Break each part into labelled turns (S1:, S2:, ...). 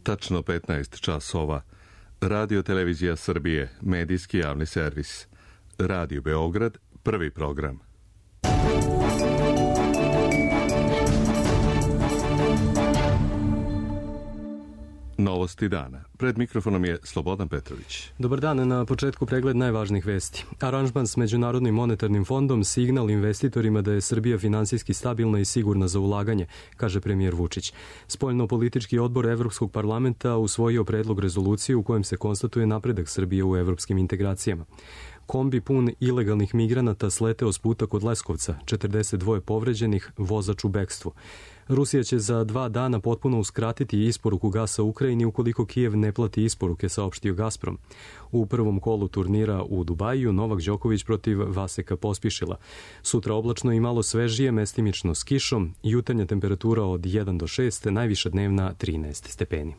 S1: Tačno 15 časova. Radio Televizija Srbije, medijski javni servis. Radio Beograd, prvi program. Novosti dana. Pred mikrofonom je Slobodan Petrović.
S2: Dobar dan, na početku pregled najvažnijih vesti. Aranžman s Međunarodnim monetarnim fondom, signal investitorima da je Srbija finansijski stabilna i sigurna za ulaganje, kaže premijer Vučić. Spoljno-politički odbor Evropskog parlamenta usvojio predlog rezolucije u kojem se konstatuje napredak Srbije u evropskim integracijama. Kombi pun ilegalnih migranata sleteo s puta kod Leskovca, 42 povređenih, vozač u bekstvu. Rusija će za 2 dana potpuno uskratiti isporuku gasa Ukrajini ukoliko Kijev ne plati isporuke, saopštio Gazprom. U prvom kolu turnira u Dubaju Novak Đoković protiv Vaseka Pospišila. Sutra oblačno i malo svežije, mestimično s kišom, jutarnja temperatura od 1 do 6, najviša dnevna 13 stepeni.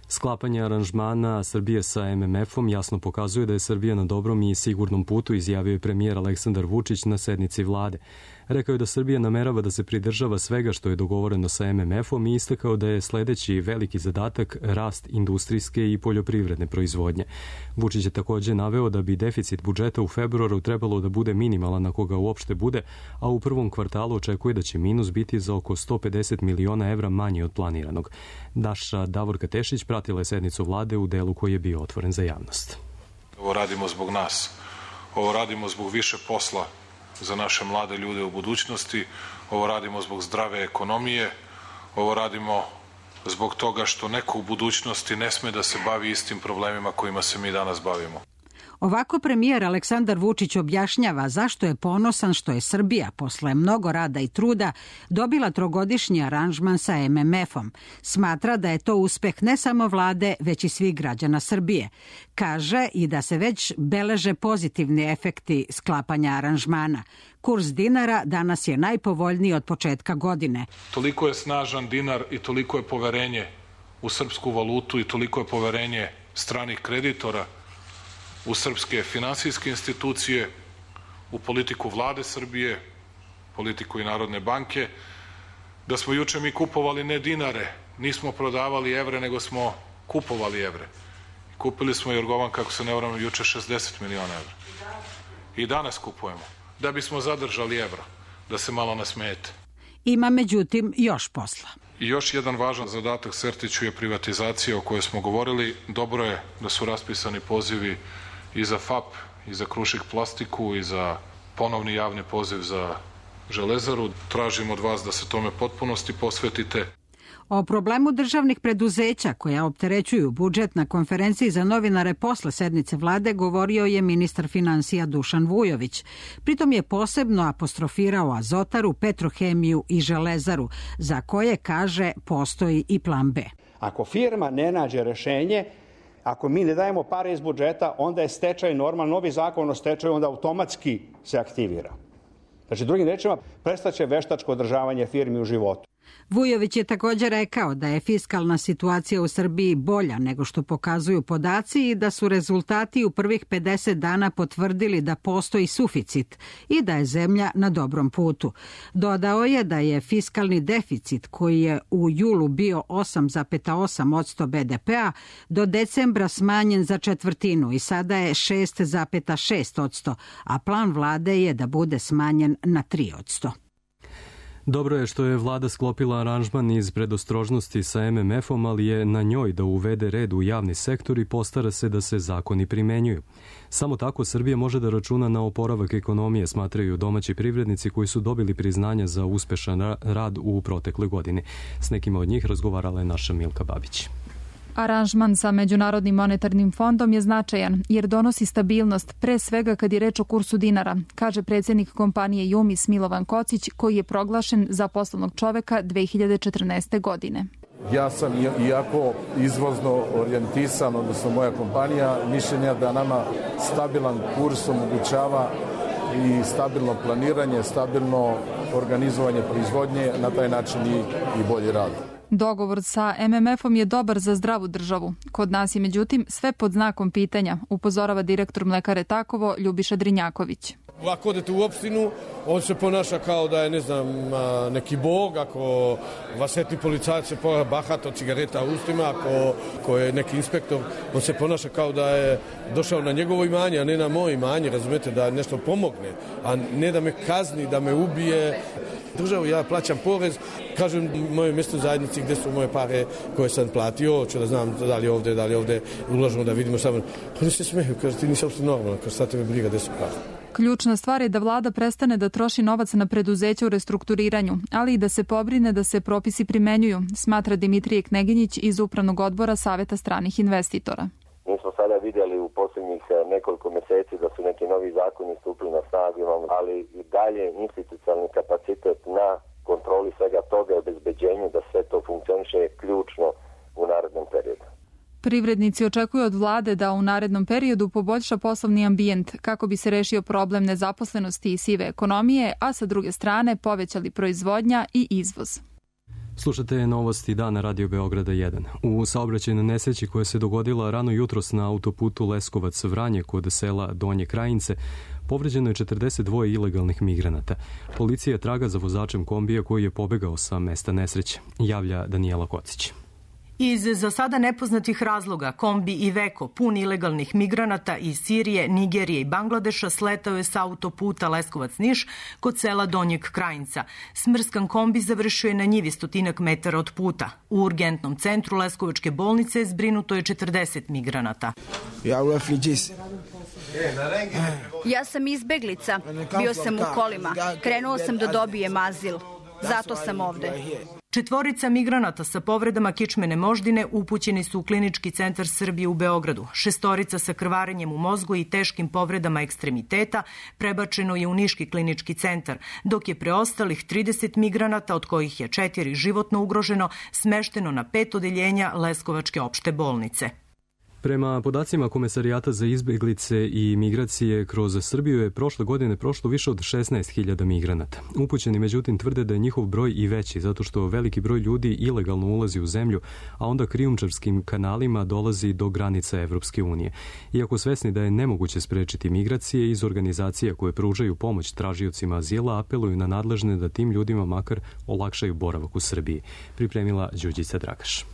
S2: Sklapanje aranžmana Srbije sa MMF-om jasno pokazuje da je Srbija na dobrom i sigurnom putu, izjavio je premijer Aleksandar Vučić na sednici vlade. Rekao je da Srbija namerava da se pridržava svega što je dogovoreno sa MMF-om i istakao da je sledeći veliki zadatak rast industrijske i poljoprivredne proizvodnje. Vučić je takođe naveo da bi deficit budžeta u februaru trebalo da bude minimalan ako ga uopšte bude, a u prvom kvartalu očekuje da će minus biti za oko 150 miliona evra manje od planiranog. Naša Davorka Tešić pratila je sednicu vlade u delu koji je bio otvoren za javnost.
S3: Ovo radimo zbog nas. Ovo radimo zbog više posla za naše mlade ljude u budućnosti. Ovo radimo zbog zdrave ekonomije. Ovo radimo zbog toga što neko u budućnosti ne sme da se bavi istim problemima kojima se mi danas bavimo.
S4: Ovako premijer Aleksandar Vučić objašnjava zašto je ponosan što je Srbija posle mnogo rada i truda dobila trogodišnji aranžman sa MMF-om. Smatra da je to uspeh ne samo vlade, već i svih građana Srbije. Kaže i da se već beleže pozitivni efekti sklapanja aranžmana. Kurs dinara danas je najpovoljniji od početka godine.
S3: Toliko je snažan dinar i toliko je poverenje u srpsku valutu i toliko je poverenje stranih kreditora u srpske finansijske institucije, u politiku vlade Srbije, politiku i Narodne banke, da smo juče mi kupovali ne dinare, nismo prodavali evre, nego smo kupovali evre. Kupili smo, Jorgovan, kako se ne varam, juče 60 miliona evra. I danas kupujemo, da bismo zadržali evro, da se malo nasmejete.
S4: Ima, međutim, još posla.
S3: I još jedan važan zadatak Sertiću je privatizacija o kojoj smo govorili. Dobro je da su raspisani pozivi i za FAP, i za Krušik plastiku, i za ponovni javni poziv za Železaru. Tražim od vas da se tome potpunosti posvetite.
S4: O problemu državnih preduzeća koja opterećuju budžet na konferenciji za novinare posle sednice vlade govorio je ministar finansija Dušan Vujović. Pritom je posebno apostrofirao Azotaru, Petrohemiju i Železaru, za koje, kaže, postoji i plan B.
S5: Ako firma ne nađe rešenje, ako mi ne dajemo pare iz budžeta, onda je stečaj normalno, novi zakon o stečaju onda automatski se aktivira. Znači, drugim rečima, prestaće veštačko održavanje firmi u životu.
S4: Vujović je također rekao da je fiskalna situacija u Srbiji bolja nego što pokazuju podaci i da su rezultati u prvih 50 dana potvrdili da postoji suficit i da je zemlja na dobrom putu. Dodao je da je fiskalni deficit, koji je u julu bio 8,8% BDP-a, do decembra smanjen za četvrtinu i sada je 6,6%, a plan vlade je da bude smanjen na 3%.
S2: Dobro je što je vlada sklopila aranžman iz predostrožnosti sa MMF-om, ali je na njoj da uvede red u javni sektor i postara se da se zakoni primenjuju. Samo tako Srbija može da računa na oporavak ekonomije, smatraju domaći privrednici koji su dobili priznanja za uspešan rad u protekloj godini. S nekima od njih razgovarala je naša Milka Babić.
S6: Aranžman sa Međunarodnim monetarnim fondom je značajan jer donosi stabilnost, pre svega kad je reč o kursu dinara, kaže predsjednik kompanije Jumis Milovan Kocić, koji je proglašen za poslovnog čoveka 2014. godine.
S7: Ja sam, iako izvozno orijentisan, odnosno moja kompanija, mišljenja da nama stabilan kurs omogućava i stabilno planiranje, stabilno organizovanje proizvodnje, na taj način i bolji rad.
S6: Dogovor sa MMF-om je dobar za zdravu državu. Kod nas je međutim sve pod znakom pitanja, upozorava direktor Mlekare Takovo Ljubiša Drinjaković.
S8: Ako odete u opštinu, on se ponaša kao da je, ne znam, neki bog, ako vas etni policajac se bahat od cigareta u ustima, ako je neki inspektor, on se ponaša kao da je došao na njegovo imanje, a ne na moje imanje, razumete, da nešto pomogne, a ne da me kazni, da me ubije. Državu, ja plaćam porez, kažem mojoj mjesnoj zajednici gdje su moje pare koje sam platio, hoću da znam da li ovdje ulažemo, da vidimo samo. Oni se smeju, kaže, ti nisi uopšte normalno, kaže, sad tebe briga gdje su pare.
S6: Ključna stvar je da vlada prestane da troši novac na preduzeća u restrukturiranju, ali i da se pobrine da se propisi primenjuju, smatra Dimitrije Kneginjić iz Upravnog odbora Saveta stranih investitora.
S9: Mi smo sada vidjeli u posljednjih nekoliko mjeseci da su neki novi zakoni stupili na snagu, ali i dalje institucionalni kapacitet na kontroli svega toga i obezbeđenju da sve to funkcioniše je ključno u narednom periodu.
S6: Privrednici očekuju od vlade da u narednom periodu poboljša poslovni ambijent kako bi se rešio problem nezaposlenosti i sive ekonomije, a sa druge strane povećali proizvodnja i izvoz.
S2: Slušate novosti dana Radio Beograda 1. U saobraćajnoj nesreći koja se dogodila rano jutros na autoputu Leskovac-Vranje kod sela Donje Krajince, povređeno je 42 ilegalnih migranata. Policija traga za vozačem kombija koji je pobegao sa mesta nesreće, javlja Danijela Kocić.
S10: Iz za sada nepoznatih razloga kombi Iveco, pun ilegalnih migranata iz Sirije, Nigerije i Bangladeša, sletao je sa autoputa Leskovac-Niš kod sela Donjeg Krajinca. Smrskan kombi završio je na njivi 100 metara od puta. U urgentnom centru Leskovačke bolnice zbrinuto je 40 migranata.
S11: Ja sam izbeglica, bio sam u kolima, krenuo sam da dobijem azil, zato sam ovde.
S10: 4 migranata sa povredama kičmene moždine upućeni su u Klinički centar Srbije u Beogradu. 6 sa krvarenjem u mozgu i teškim povredama ekstremiteta prebačeno je u Niški klinički centar, dok je preostalih 30 migranata, od kojih je 4 životno ugroženo, smešteno na 5 odeljenja Leskovačke opšte bolnice.
S2: Prema podacima Komesarijata za izbeglice i migracije kroz Srbiju je prošle godine prošlo više od 16.000 migranata. Upućeni međutim tvrde da je njihov broj i veći zato što veliki broj ljudi ilegalno ulazi u zemlju, a onda krijumčarskim kanalima dolazi do granica Evropske unije. Iako svesni da je nemoguće sprečiti migracije, iz organizacija koje pružaju pomoć tražiocima azila apeluju na nadležne da tim ljudima makar olakšaju boravak u Srbiji. Pripremila Đurđica Dragaš.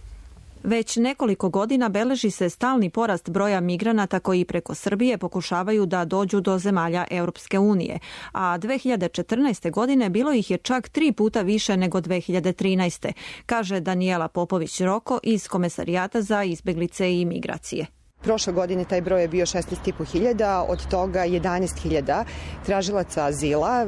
S12: Već nekoliko godina beleži se stalni porast broja migranata koji preko Srbije pokušavaju da dođu do zemalja Europske unije, a 2014. godine bilo ih je čak 3 puta više nego 2013. kaže Danijela Popović-Roko iz Komesarijata za izbeglice i migracije.
S13: Prošle godine taj broj je bio 16.500, od toga 11.000 tražilaca azila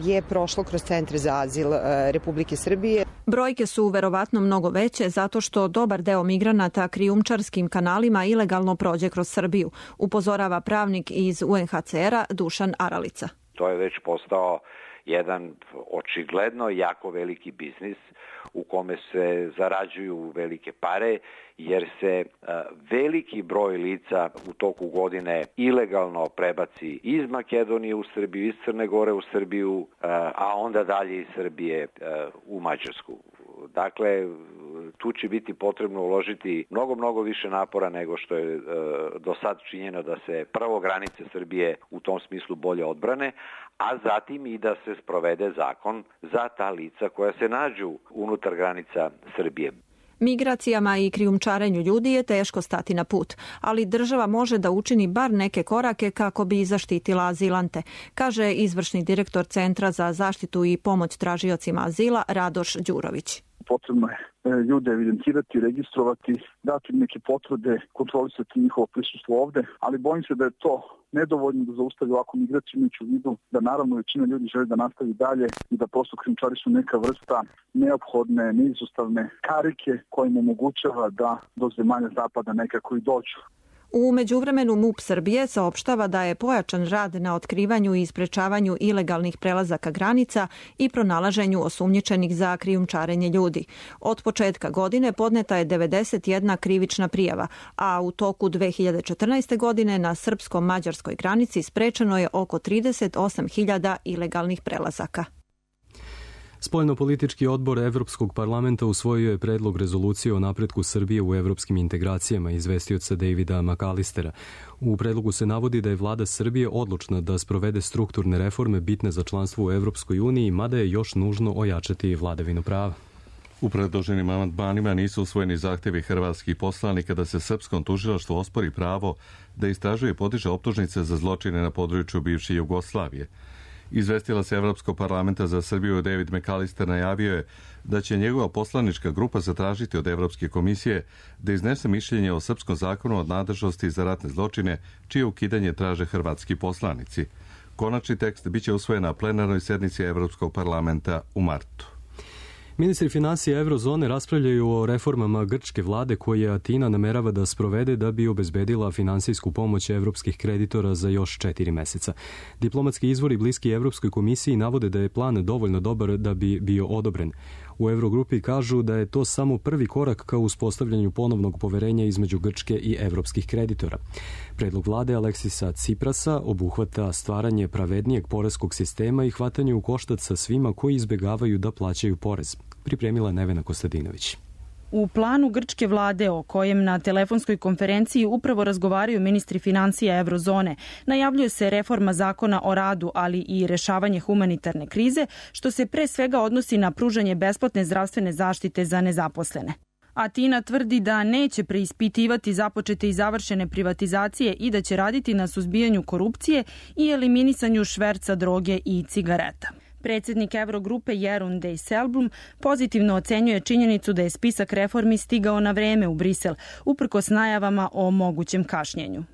S13: je prošlo kroz centre za azil Republike Srbije.
S12: Brojke su verovatno mnogo veće zato što dobar deo migranata krijumčarskim kanalima ilegalno prođe kroz Srbiju, upozorava pravnik iz UNHCR-a Dušan Aralica.
S14: To je već postao jedan očigledno jako veliki biznis u kome se zarađuju velike pare, jer se veliki broj lica u toku godine ilegalno prebaci iz Makedonije u Srbiju, iz Crne Gore u Srbiju, a onda dalje iz Srbije u Mađarsku. Dakle, tu će biti potrebno uložiti mnogo više napora nego što je do sad činjeno da se prvo granice Srbije u tom smislu bolje odbrane, a zatim i da se sprovede zakon za ta lica koja se nađu unutar granica Srbije.
S12: Migracijama i krijumčarenju ljudi je teško stati na put, ali država može da učini bar neke korake kako bi zaštitila azilante, kaže izvršni direktor Centra za zaštitu i pomoć tražiocima azila Radoš Đurović.
S15: Potrebno je ljude evidentirati, registrovati, dati neke potvrde, kontrolisati njihovo prisustvo ovde, ali bojim se da je to nedovoljno da zaustavi ovakvu migraciju, imajući u vidu da naravno većina ljudi želi da nastavi dalje i da prosto krijumčari su neka vrsta neophodne, neizostavne karike koja im omogućava da do zemalja zapada nekako i dođu.
S12: U međuvremenu MUP Srbije saopštava da je pojačan rad na otkrivanju i sprečavanju ilegalnih prelazaka granica i pronalaženju osumnjičenih za krijumčarenje ljudi. Od početka godine podneta je 91 krivična prijava, a u toku 2014. godine na srpsko-mađarskoj granici sprečeno je oko 38.000 ilegalnih prelazaka.
S2: Spoljnopolitički odbor Evropskog parlamenta usvojio je predlog rezolucije o napretku Srbije u evropskim integracijama, izvestioca Davida McAllistera. U predlogu se navodi da je vlada Srbije odlučna da sprovede strukturne reforme bitne za članstvo u Evropskoj uniji, mada je još nužno ojačati vladavinu prava.
S1: U predloženim amandmanima nisu usvojeni zahtjevi hrvatskih poslanika da se srpskom tužilaštvu ospori pravo da istražuje i podiže optužnice za zločine na području bivše Jugoslavije. Izvestilac Evropskog parlamenta za Srbiju David McAllister najavio je da će njegova poslanička grupa zatražiti od Evropske komisije da iznese mišljenje o srpskom zakonu od nadležnosti za ratne zločine, čije ukidanje traže hrvatski poslanici. Konačni tekst biće usvojen na plenarnoj sednici Evropskog parlamenta u martu.
S2: Ministri financija Eurozone raspravljaju o reformama grčke vlade koje Atina namerava da sprovede da bi obezbedila finansijsku pomoć evropskih kreditora za još 4 meseca. Diplomatski izvori bliski Evropskoj komisiji navode da je plan dovoljno dobar da bi bio odobren. U Eurogrupi kažu da je to samo prvi korak ka uspostavljanju ponovnog poverenja između Grčke i evropskih kreditora. Predlog vlade Aleksisa Ciprasa obuhvata stvaranje pravednijeg poreskog sistema i hvatanje u koštac sa svima koji izbegavaju da plaćaju porez. Pripremila Nevena Kostadinović.
S16: U planu grčke vlade, o kojem na telefonskoj konferenciji upravo razgovaraju ministri financija Eurozone, najavljuje se reforma zakona o radu, ali i rešavanje humanitarne krize, što se pre svega odnosi na pružanje besplatne zdravstvene zaštite za nezaposlene. Atina tvrdi da neće preispitivati započete i završene privatizacije i da će raditi na suzbijanju korupcije i eliminisanju šverca droge i cigareta. Predsjednik Eurogrupe Jeroen Dijsselbloem pozitivno ocenjuje činjenicu da je spisak reformi stigao na vreme u Brisel, uprkos najavama o mogućem kašnjenju.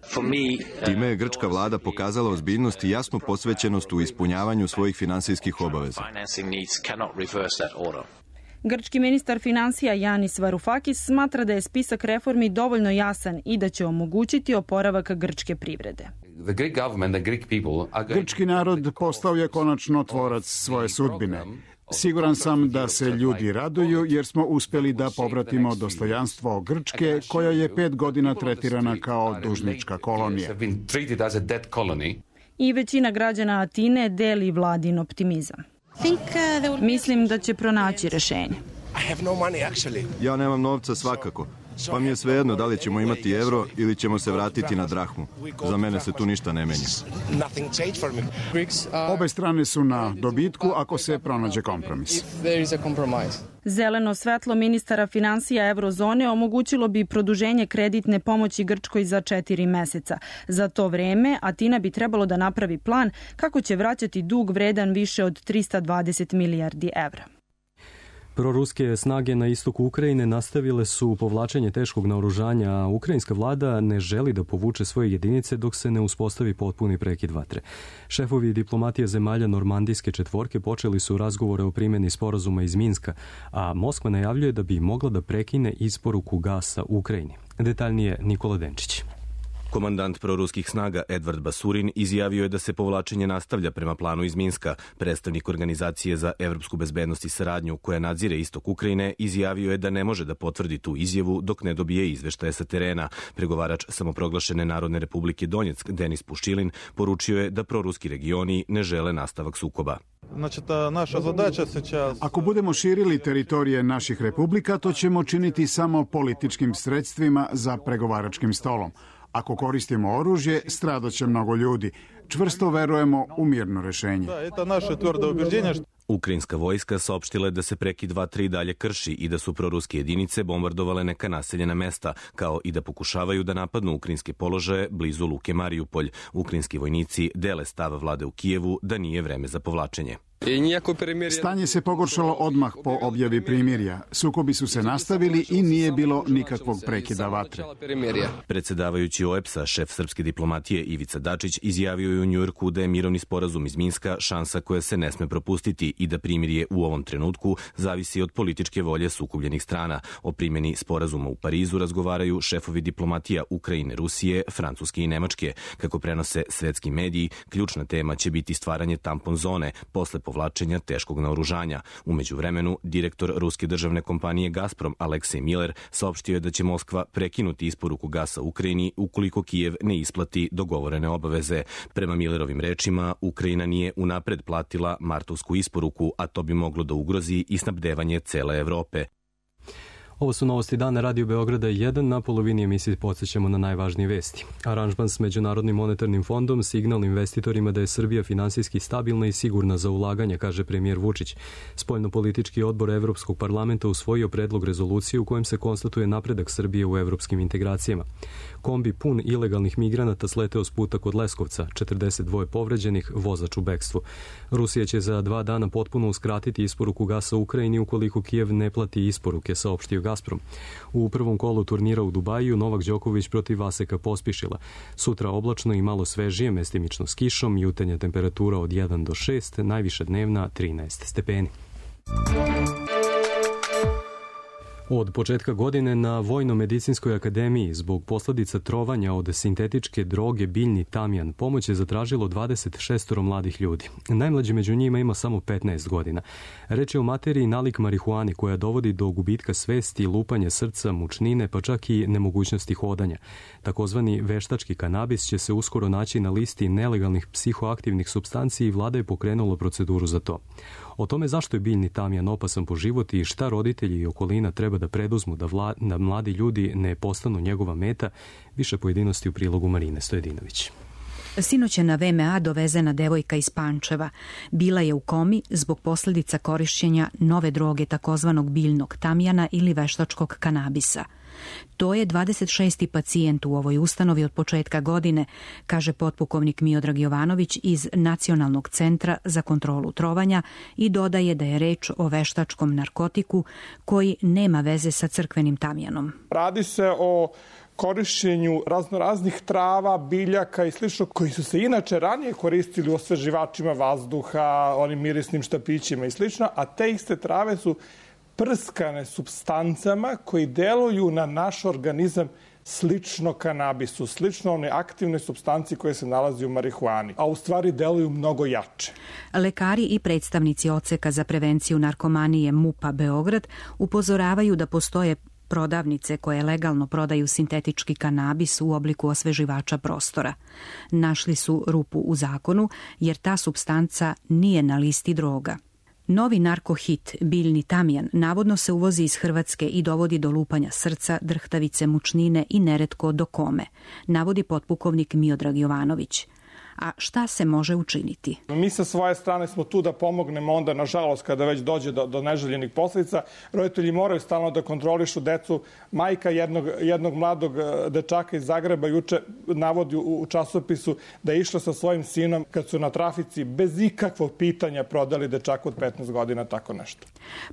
S17: Time je grčka vlada pokazala ozbiljnost i jasnu posvećenost u ispunjavanju svojih finansijskih obaveza.
S16: Grčki ministar financija Yanis Varoufakis smatra da je spisak reformi dovoljno jasan i da će omogućiti oporavak grčke privrede.
S18: Grčki narod postao je konačno tvorac svoje sudbine. Siguran sam da se ljudi raduju jer smo uspjeli da povratimo dostojanstvo Grčke, koja je 5 godina tretirana kao dužnička kolonija.
S16: I većina građana Atine deli vladin optimizam. Mislim da će pronaći rešenje.
S17: Ja nemam novca svakako, pa mi je svejedno da li ćemo imati euro ili ćemo se vratiti na drahmu. Za mene se tu ništa ne menja.
S18: Obe strane su na dobitku ako se pronađe kompromis.
S16: Zeleno svetlo ministara financija Eurozone omogućilo bi produženje kreditne pomoći Grčkoj za 4 meseca. Za to vreme Atina bi trebalo da napravi plan kako će vraćati dug vredan više od 320 milijardi evra.
S2: Proruske snage na istoku Ukrajine nastavile su povlačenje teškog naoružanja, a ukrajinska vlada ne želi da povuče svoje jedinice dok se ne uspostavi potpuni prekid vatre. Šefovi diplomatije zemalja Normandijske četvorke počeli su razgovore o primjeni sporazuma iz Minska, a Moskva najavljuje da bi mogla da prekine isporuku gasa Ukrajini. Detaljnije Nikola Denčić.
S19: Komandant proruskih snaga Edvard Basurin izjavio je da se povlačenje nastavlja prema planu iz Minska. Predstavnik Organizacije za evropsku bezbednost i saradnju, koja nadzire istok Ukrajine, izjavio je da ne može da potvrdi tu izjavu dok ne dobije izveštaje sa terena. Pregovarač samoproglašene Narodne republike Donjeck, Denis Puščilin, poručio je da proruski regioni ne žele nastavak sukoba.
S18: Ako budemo širili teritorije naših republika, to ćemo činiti samo političkim sredstvima za pregovaračkim stolom. Ako koristimo oružje, stradaće mnogo ljudi. Čvrsto verujemo u mirno rešenje.
S19: Ukrajinska vojska saopštila je da se prekid vatre i dalje krši i da su proruske jedinice bombardovale neka naseljena mesta, kao i da pokušavaju da napadnu ukrajinske položaje blizu luke Marijupolj. Ukrajinski vojnici dele stav vlade u Kijevu da nije vreme za povlačenje.
S18: Stanje se pogoršalo odmah po objavi primirja. Sukobi su se nastavili i nije bilo nikakvog prekida vatre.
S19: Predsjedavajući OEBS-a, šef srpske diplomatije Ivica Dačić izjavio je u Njujorku da je mirovni sporazum iz Minska šansa koja se ne sme propustiti i da primirje u ovom trenutku zavisi od političke volje sukobljenih strana. O primjeni sporazuma u Parizu razgovaraju šefovi diplomatija Ukrajine, Rusije, Francuske i Nemačke. Kako prenose svetski mediji, ključna tema će biti stvaranje tampon zone posle povlačenja povlačenja teškog naoružanja. U međuvremenu, direktor ruske državne kompanije Gazprom Aleksej Miller saopštio je da će Moskva prekinuti isporuku gasa Ukrajini ukoliko Kijev ne isplati dogovorene obaveze. Prema Millerovim rečima, Ukrajina nije unapred platila martovsku isporuku, a to bi moglo da ugrozi i snabdevanje cele Evrope.
S2: Ovo su novosti dana Radio Beograda 1. Na polovini emisije podsjećamo na najvažnije vesti. Aranžman s Međunarodnim monetarnim fondom, signal investitorima da je Srbija finansijski stabilna i sigurna za ulaganje, kaže premijer Vučić. Spoljnopolitički odbor Evropskog parlamenta usvojio predlog rezolucije u kojem se konstatuje napredak Srbije u evropskim integracijama. Kombi pun ilegalnih migranata sleteo s puta kod Leskovca, 42 povređenih, vozač u bekstvu. Rusija će za 2 dana potpuno uskratiti isporuku gasa Ukrajini ukoliko Kijev ne plati isporuke, saopštio Gazprom. U prvom kolu turnira u Dubaju Novak Đoković protiv Vaseka Pospišila. Sutra oblačno i malo svežije, mestimično s kišom, jutarnja temperatura od 1 do 6, najviša dnevna 13 stepeni. Od početka godine na Vojno-medicinskoj akademiji zbog posledica trovanja od sintetičke droge biljni tamjan pomoć je zatražilo 26 mladih ljudi. Najmlađi među njima ima samo 15 godina. Reč je o materiji nalik marihuani koja dovodi do gubitka svesti, lupanja srca, mučnine, pa čak i nemogućnosti hodanja. Takozvani veštački kanabis će se uskoro naći na listi nelegalnih psihoaktivnih supstanci i vlada je pokrenula proceduru za to. O tome zašto je biljni tamjan opasan po život i šta roditelji i okolina treba da preduzmu da mladi ljudi ne postanu njegova meta, više pojedinosti u prilogu Marine Stojedinović.
S20: Sinoć je na VMA dovezena devojka iz Pančeva. Bila je u komi zbog posljedica korišćenja nove droge takozvanog biljnog tamjana ili veštačkog kanabisa. To je 26. pacijent u ovoj ustanovi od početka godine, kaže potpukovnik Miodrag Jovanović iz Nacionalnog centra za kontrolu trovanja i dodaje da je reč o veštačkom narkotiku koji nema veze sa crkvenim tamjanom.
S21: Radi se o korišćenju raznoraznih trava, biljaka i slično koji su se inače ranije koristili u osveživačima vazduha, onim mirisnim štapićima i slično, a te iste trave su prskane supstancama koji deluju na naš organizam slično kanabisu, slično one aktivne supstanci koje se nalazi u marihuani, a u stvari deluju mnogo jače.
S20: Lekari i predstavnici odseka za prevenciju narkomanije MUP-a Beograd upozoravaju da postoje prodavnice koje legalno prodaju sintetički kanabis u obliku osveživača prostora. Našli su rupu u zakonu jer ta supstanca nije na listi droga. Novi narkohit, biljni tamjan, navodno se uvozi iz Hrvatske i dovodi do lupanja srca, drhtavice, mučnine i neretko do kome, navodi potpukovnik Miodrag Jovanović. A šta se može učiniti?
S21: Mi sa svoje strane smo tu da pomognemo onda, nažalost, kada već dođe do neželjenih posljedica. Roditelji moraju stalno da kontrolišu decu. Majka jednog mladog dečaka iz Zagreba juče navodi u časopisu da je išla sa svojim sinom kad su na trafici bez ikakvog pitanja prodali dečaku od 15 godina tako nešto.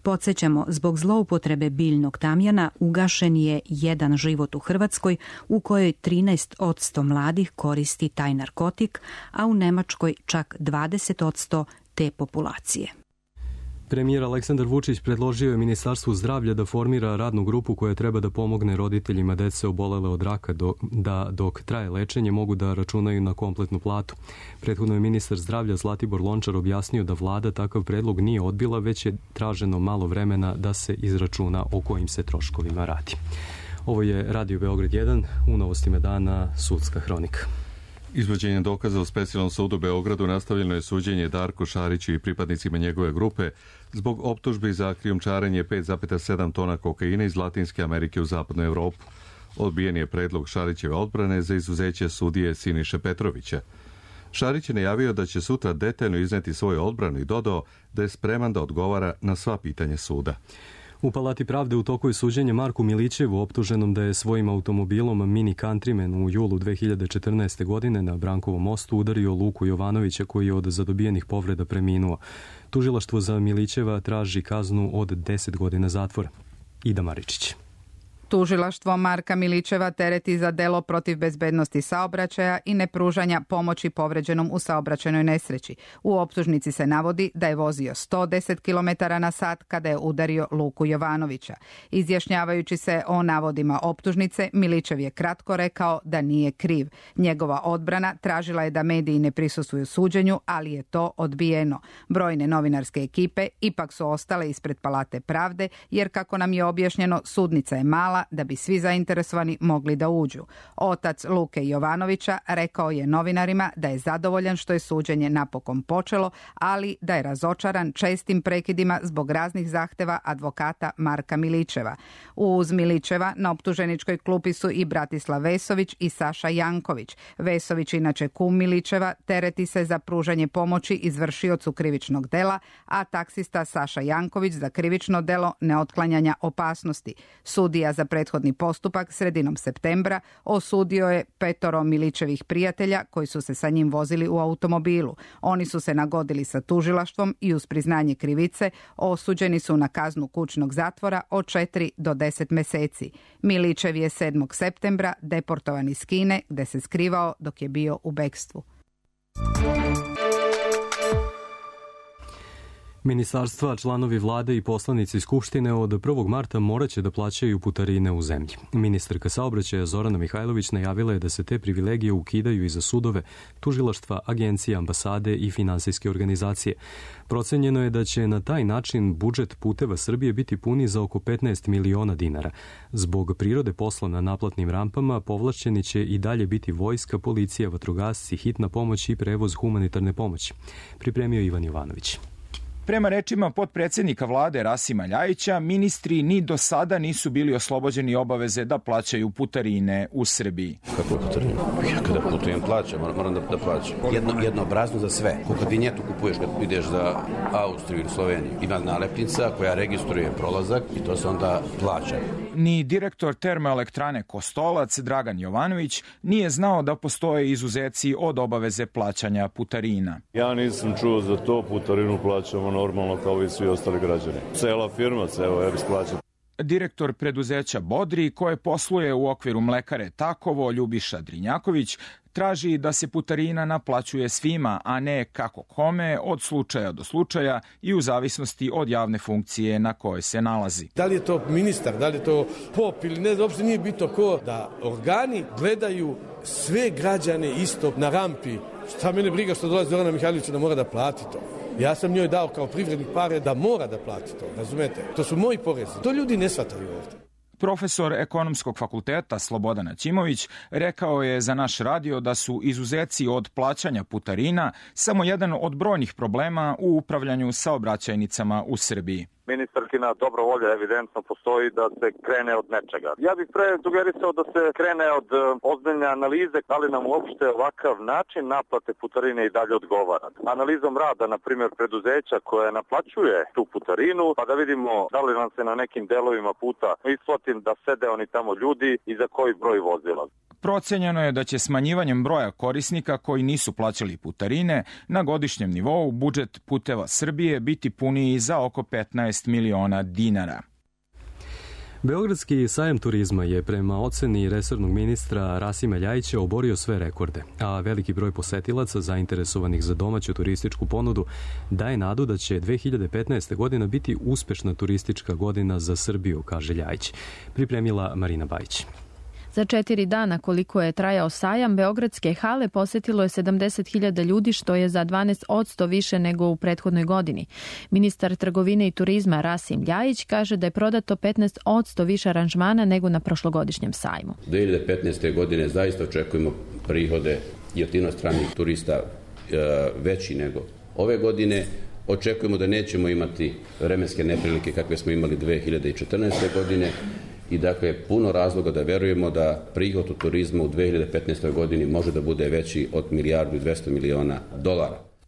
S20: Podsjećamo, zbog zloupotrebe biljnog tamjana ugašen je jedan život u Hrvatskoj u kojoj 13% mladih koristi taj narkotik, a u Nemačkoj čak 20% te populacije.
S2: Premijer Aleksandar Vučić predložio je Ministarstvu zdravlja da formira radnu grupu koja treba da pomogne roditeljima dece obolele od raka da dok traje lečenje mogu da računaju na kompletnu platu. Prethodno je ministar zdravlja Zlatibor Lončar objasnio da vlada takav predlog nije odbila, već je traženo malo vremena da se izračuna o kojim se troškovima radi. Ovo je Radio Beograd 1, u novostima dana sudska hronika.
S1: Izvođenjem dokaza u Specijalnom sudu u Beogradu nastavljeno je suđenje Darku Šariću i pripadnicima njegove grupe zbog optužbi za krijumčarenje 5,7 tona kokaina iz Latinske Amerike u zapadnu Evropu. Odbijen je predlog Šarićeve odbrane za izuzeće sudije Siniše Petrovića. Šarić je najavio da će sutra detaljno izneti svoju odbranu i dodao da je spreman da odgovara na sva pitanja suda.
S2: U Palati pravde u toku je suđenje Marku Milićevu, optuženom da je svojim automobilom Mini Countryman u julu 2014. godine na Brankovom mostu udario Luku Jovanovića koji je od zadobijenih povreda preminuo. Tužilaštvo za Milićeva traži kaznu od 10 godina zatvora. Ida Maričić.
S3: Tužilaštvo Marka Milićeva tereti za delo protiv bezbednosti saobraćaja i nepružanja pomoći povređenom u saobraćajnoj nesreći. U optužnici se navodi da je vozio 110 km na sat kada je udario Luku Jovanovića. Izjašnjavajući se o navodima optužnice, Milićev je kratko rekao da nije kriv. Njegova odbrana tražila je da mediji ne prisustvuju suđenju, ali je to odbijeno. Brojne novinarske ekipe ipak su ostale ispred Palate pravde, jer kako nam je objašnjeno, sudnica je mala da bi svi zainteresovani mogli da uđu. Otac Luke Jovanovića rekao je novinarima da je zadovoljan što je suđenje napokon počelo, ali da je razočaran čestim prekidima zbog raznih zahteva advokata Marka Milićeva. Uz Milićeva na optuženičkoj klupi su i Bratislav Vesović i Saša Janković. Vesović, inače kum Milićeva, tereti se za pružanje pomoći izvršiocu krivičnog dela, a taksista Saša Janković za krivično delo neotklanjanja opasnosti. Sudija za prethodni postupak sredinom septembra osudio je 5 Milićevih prijatelja koji su se sa njim vozili u automobilu. Oni su se nagodili sa tužilaštvom i uz priznanje krivice osuđeni su na kaznu kućnog zatvora od 4 do 10 meseci. Milićev je 7. septembra deportovan iz Kine, gde se skrivao dok je bio u bekstvu.
S2: Ministarstva, članovi vlade i poslanici Skupštine od 1. marta moraće da plaćaju putarine u zemlji. Ministarka saobraćaja Zorana Mihajlović najavila je da se te privilegije ukidaju i za sudove, tužilaštva, agencije, ambasade i finansijske organizacije. Procenjeno je da će na taj način budžet Puteva Srbije biti puni za oko 15 miliona dinara. Zbog prirode posla na naplatnim rampama povlašćeni će i dalje biti vojska, policija, vatrogasci, hitna pomoć i prevoz humanitarne pomoći. Pripremio Ivan Jovanović.
S22: Prema rečima potpredsjednika vlade Rasima Ljajića, ministri ni do sada nisu bili oslobođeni obaveze da plaćaju putarine u Srbiji.
S23: Kako je putarina? Ja kada putujem plaćam, moram da plaćam. Jednoobrazno za sve. Kad vinjetu kupuješ kad ideš za Austriju ili Sloveniju, ima nalepnica koja registruje prolazak i to se onda plaća.
S22: Ni direktor termoelektrane Kostolac, Dragan Jovanović, nije znao da postoje izuzeci od obaveze plaćanja putarina.
S24: Ja nisam čuo za to, putarinu plaćamo normalno kao i svi ostali građani. Cela firma, ceo EPS plaća.
S22: Direktor preduzeća Bodri, koje posluje u okviru mlekare Takovo, Ljubiša Drinjaković, traži da se putarina naplaćuje svima, a ne kako kome, od slučaja do slučaja i u zavisnosti od javne funkcije na kojoj se nalazi.
S8: Da li je to ministar, da li je to pop ili ne, uopšte nije bitno ko, da organi gledaju sve građane isto na rampi. Šta mene briga što dolazi Zorana Mihajlovića da mora da plati to? Ja sam njoj dao kao privrednik pare da mora da plati to, razumete? To su moji porezi. To ljudi ne shvataju ovdje.
S22: Profesor ekonomskog fakulteta Slobodan Aćimović rekao je za naš radio da su izuzeci od plaćanja putarina samo jedan od brojnih problema u upravljanju saobraćajnicama u Srbiji.
S25: Ministarkina dobra volja evidentno postoji da se krene od nečega. Ja bih pre sugerisao da se krene od ozbiljne analize da li nam uopšte ovakav način naplate putarine i dalje odgovara. Analizom rada, na primjer, preduzeća koje naplaćuje tu putarinu, pa da vidimo da li nam se na nekim delovima puta isplati da sede oni tamo ljudi i za koji broj vozila.
S22: Procenjeno je da će smanjivanjem broja korisnika koji nisu plaćali putarine na godišnjem nivou budžet Puteva Srbije biti puniji za oko 15 miliona dinara.
S2: Beogradski sajam turizma je prema oceni resornog ministra Rasima Ljajića oborio sve rekorde, a veliki broj posetilaca zainteresovanih za domaću turističku ponudu daje nadu da će 2015. godina biti uspešna turistička godina za Srbiju, kaže Ljajić. Pripremila Marina Bajić.
S6: Za 4 dana koliko je trajao sajam, beogradske hale posetilo je 70.000 ljudi, što je za 12% više nego u prethodnoj godini. Ministar trgovine i turizma Rasim Ljajić kaže da je prodato 15% više aranžmana nego na prošlogodišnjem sajmu.
S23: 2015. godine zaista očekujemo prihode i od inostranih turista veći nego ove godine. Očekujemo da nećemo imati vremenske neprilike kakve smo imali 2014. godine. I dakle, puno razloga da verujemo da prihod u turizmu u 2015. godini može da bude veći od $1,2 milijarda.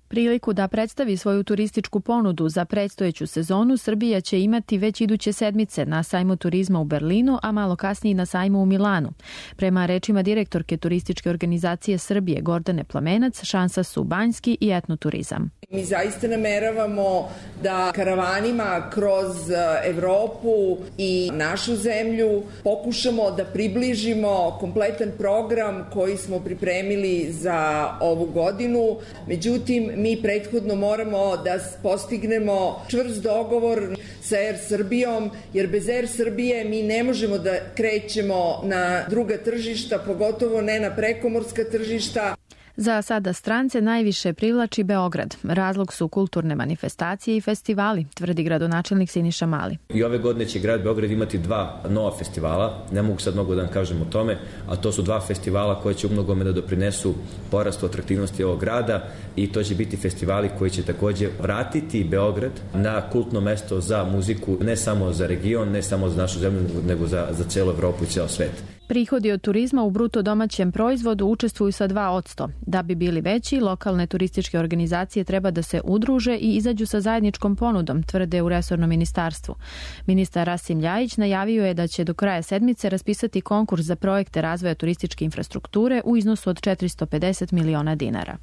S6: Priliku da predstavi svoju turističku ponudu za predstojeću sezonu Srbija će imati već iduće sedmice na sajmu turizma u Berlinu, a malo kasnije na sajmu u Milanu. Prema rečima direktorke Turističke organizacije Srbije Gordane Plamenac, šansa su banjski i etnoturizam.
S4: Mi zaista nameravamo da karavanima kroz Evropu i našu zemlju pokušamo da približimo kompletan program koji smo pripremili za ovu godinu. Međutim, mi prethodno moramo da postignemo čvrst dogovor sa Air Srbijom, jer bez Air Srbije mi ne možemo da krećemo na druga tržišta, pogotovo ne na prekomorska tržišta.
S6: Za sada strance najviše privlači Beograd. Razlog su kulturne manifestacije i festivali, tvrdi gradonačelnik Siniša Mali.
S5: I ove godine će grad Beograd imati 2 nova festivala, ne mogu sad mnogo da vam kažem o tome, a to su 2 festivala koje će umnogome da doprinesu porastu atraktivnosti ovog grada i to će biti festivali koji će takođe vratiti Beograd na kultno mesto za muziku, ne samo za region, ne samo za našu zemlju, nego za celu Evropu i ceo svet.
S6: Prihodi od turizma u bruto domaćem proizvodu učestvuju sa 2%. Da bi bili veći, lokalne turističke organizacije treba da se udruže i izađu sa zajedničkom ponudom, tvrde u resornom ministarstvu. Ministar Rasim Ljajić najavio je da će do kraja sedmice raspisati konkurs za projekte razvoja turističke infrastrukture u iznosu od 450 miliona dinara.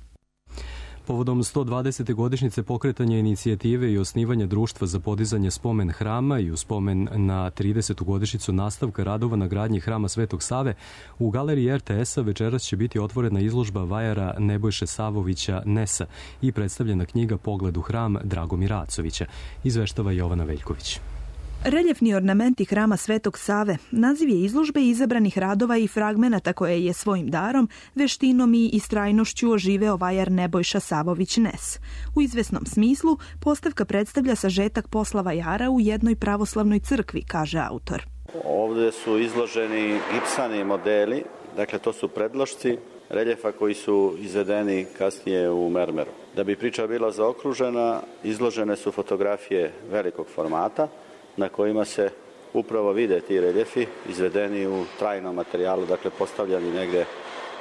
S2: Povodom 120. godišnjice pokretanja inicijative i osnivanja društva za podizanje spomen hrama i u spomen na 30. godišnjicu nastavka radova na gradnji hrama Svetog Save, u galeriji RTS-a večeras će biti otvorena izložba vajara Nebojše Savovića Nesa i predstavljena knjiga Pogled u hram Dragomira Acovića, izveštava Jovana Veljković.
S7: Reljefni ornamenti hrama Svetog Save naziv je izložbe izabranih radova i fragmenata koje je svojim darom, veštinom i istrajnošću oživeo vajar Nebojša Savović Nes. U izvesnom smislu, postavka predstavlja sažetak posla vajara u jednoj pravoslavnoj crkvi, kaže autor.
S9: Ovde su izloženi gipsani modeli, dakle to su predlošci reljefa koji su izvedeni kasnije u mermeru. Da bi priča bila zaokružena, izložene su fotografije velikog formata, na kojima se upravo vide ti reljefi izvedeni u trajnom materijalu, dakle postavljani negde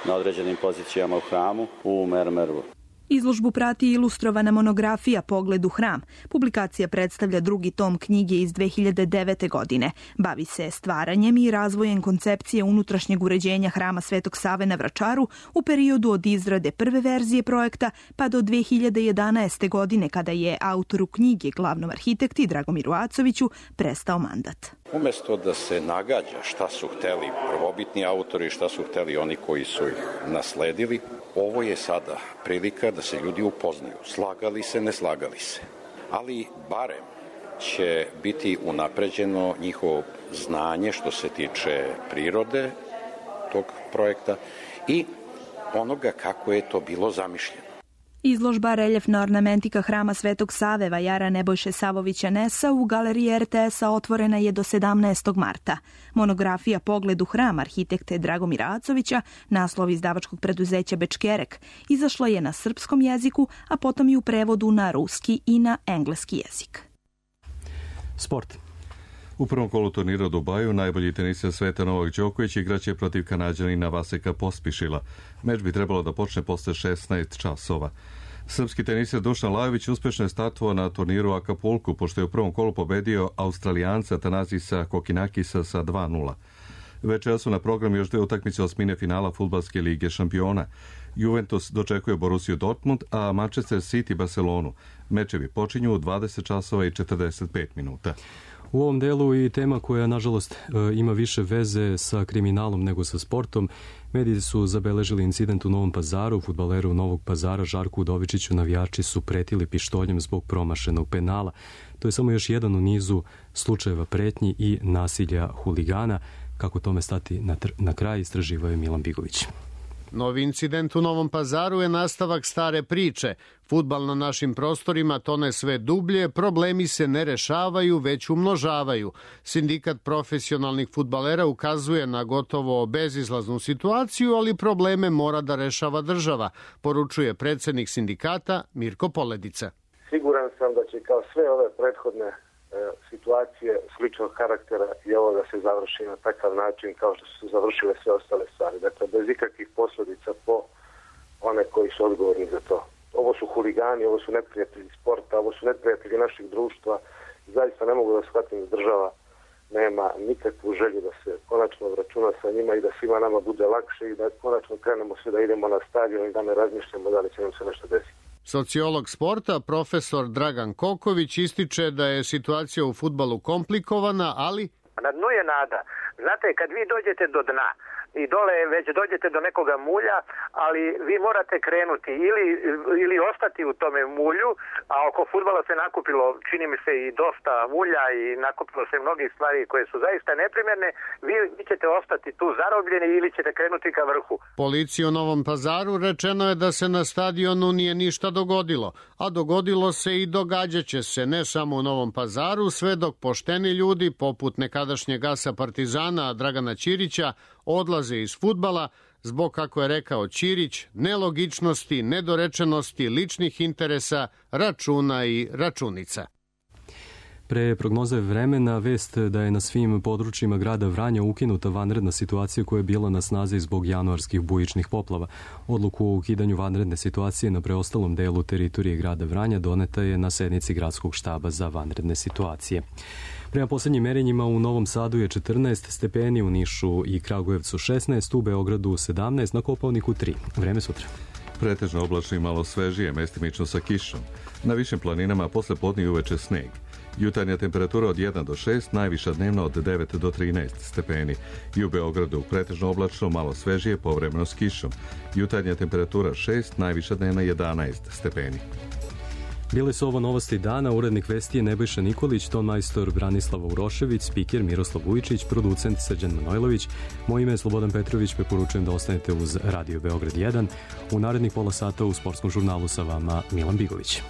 S9: na određenim pozicijama u hramu u mermeru.
S7: Izložbu prati ilustrovana monografija Pogled u hram. Publikacija predstavlja drugi tom knjige iz 2009. godine. Bavi se stvaranjem i razvojem koncepcije unutrašnjeg uređenja hrama Svetog Save na Vračaru u periodu od izrade prve verzije projekta pa do 2011. godine kada je autoru knjige, glavnom arhitekti Dragomiru Acoviću, prestao mandat.
S11: Umesto da se nagađa šta su hteli prvobitni autori, šta su hteli oni koji su ih nasledili, ovo je sada prilika da se ljudi upoznaju. Slagali se, ne slagali se. Ali barem će biti unapređeno njihovo znanje što se tiče prirode tog projekta i onoga kako je to bilo zamišljeno.
S7: Izložba Reljefna ornamentika hrama Svetog Save vajara Nebojše Savovića Nesa u galeriji RTS-a otvorena je do 17. marta. Monografija Pogled u hram arhitekte Dragomira Acovića, naslov izdavačkog preduzeća Bečkerek, izašla je na srpskom jeziku, a potom i u prevodu na ruski i na engleski jezik.
S1: Sport. U prvom kolu turnira u Dubaju najbolji tenisir sveta Novak Đoković igraće protiv Kanađanina Vaseka Pospišila. Meč bi trebalo da počne posle 16 časova. Srpski tenisir Dušan Lajović uspešno je startovao na turniru u Akapulku, pošto je u prvom kolu pobedio Australijanca Tanasisa Kokinakisa sa 2:0. Večera su na programu još 2 utakmice osmine finala Fudbalske lige šampiona. Juventus dočekuje Borussiju Dortmund, a Manchester City Barcelonu. Mečevi počinju u 20 časova i 45 minuta.
S2: U ovom delu i tema koja, nažalost, ima više veze sa kriminalom nego sa sportom. Mediji su zabeležili incident u Novom Pazaru. Fudbaleru Novog Pazara Žarku Udovičiću navijači su pretili pištoljem zbog promašenog penala. To je samo još jedan u nizu slučajeva pretnji i nasilja huligana. Kako tome stati na kraj, istraživao je Milan Bigović.
S26: Novi incident u Novom Pazaru je nastavak stare priče. Fudbal na našim prostorima tone sve dublje, problemi se ne rešavaju, već umnožavaju. Sindikat profesionalnih fudbalera ukazuje na gotovo bezizlaznu situaciju, ali probleme mora da rešava država, poručuje predsednik sindikata Mirko Poledica.
S27: Siguran sam da će kao sve ove prethodne situacije sličnog karaktera i ovo da se završi na takav način kao što su završile sve ostale stvari. Dakle, bez ikakvih posljedica po one koji su odgovorni za to. ovo su huligani, ovo su neprijatelji sporta, ovo su neprijatelji naših društva. Zaista ne mogu da shvatim da država nema nikakvu želju da se konačno obračuna sa njima i da svima nama bude lakše i da konačno krenemo svi da idemo na stadion i da ne razmišljamo da li će nam se nešto desiti.
S26: Sociolog sporta, profesor Dragan Koković, ističe da je situacija u fudbalu komplikovana, ali...
S10: Na dnu je nada. Znate, kad vi dođete do dna i dole već dođete do nekoga mulja, ali vi morate krenuti ili ostati u tome mulju, a oko fudbala se nakupilo, čini mi se, i dosta mulja i nakupilo se mnogih stvari koje su zaista neprimjerne, vi ćete ostati tu zarobljeni ili ćete krenuti ka vrhu.
S26: Policiji u Novom Pazaru rečeno je da se na stadionu nije ništa dogodilo, a dogodilo se i događaće se ne samo u Novom Pazaru, sve dok pošteni ljudi, poput nekadašnjeg asa Partizana Dragana Ćirića, odlaze iz fudbala zbog, kako je rekao Ćirić, nelogičnosti, nedorečenosti, ličnih interesa, računa i računica.
S2: Pre prognoze vremena, vest da je na svim područjima grada Vranja ukinuta vanredna situacija koja je bila na snazi zbog januarskih bujičnih poplava. Odluku o ukidanju vanredne situacije na preostalom delu teritorije grada Vranja doneta je na sednici gradskog štaba za vanredne situacije. Prema poslednjim merenjima u Novom Sadu je 14 stepeni, u Nišu i Kragujevcu 16, u Beogradu 17, na Kopaoniku 3. Vreme sutra.
S1: Pretežno oblačno i malo svežije, mestimično sa kišom. Na višim planinama posle podne i uveče sneg. Jutarnja temperatura od 1 do 6, najviša dnevna od 9 do 13 stepeni. I u Beogradu pretežno oblačno, malo svežije, povremeno s kišom. Jutarnja temperatura 6, najviša dnevna 11 stepeni.
S2: Bile su ovo novosti dana, urednik vesti je Nebojša Nikolić, ton majstor Branislava Urošević, spiker Miroslav Vujičić, producent Srđan Manojlović. Moje ime je Slobodan Petrović, preporučujem da ostanete uz Radio Beograd 1. U narednih pola sata u sportskom žurnalu sa vama Milan Bigović.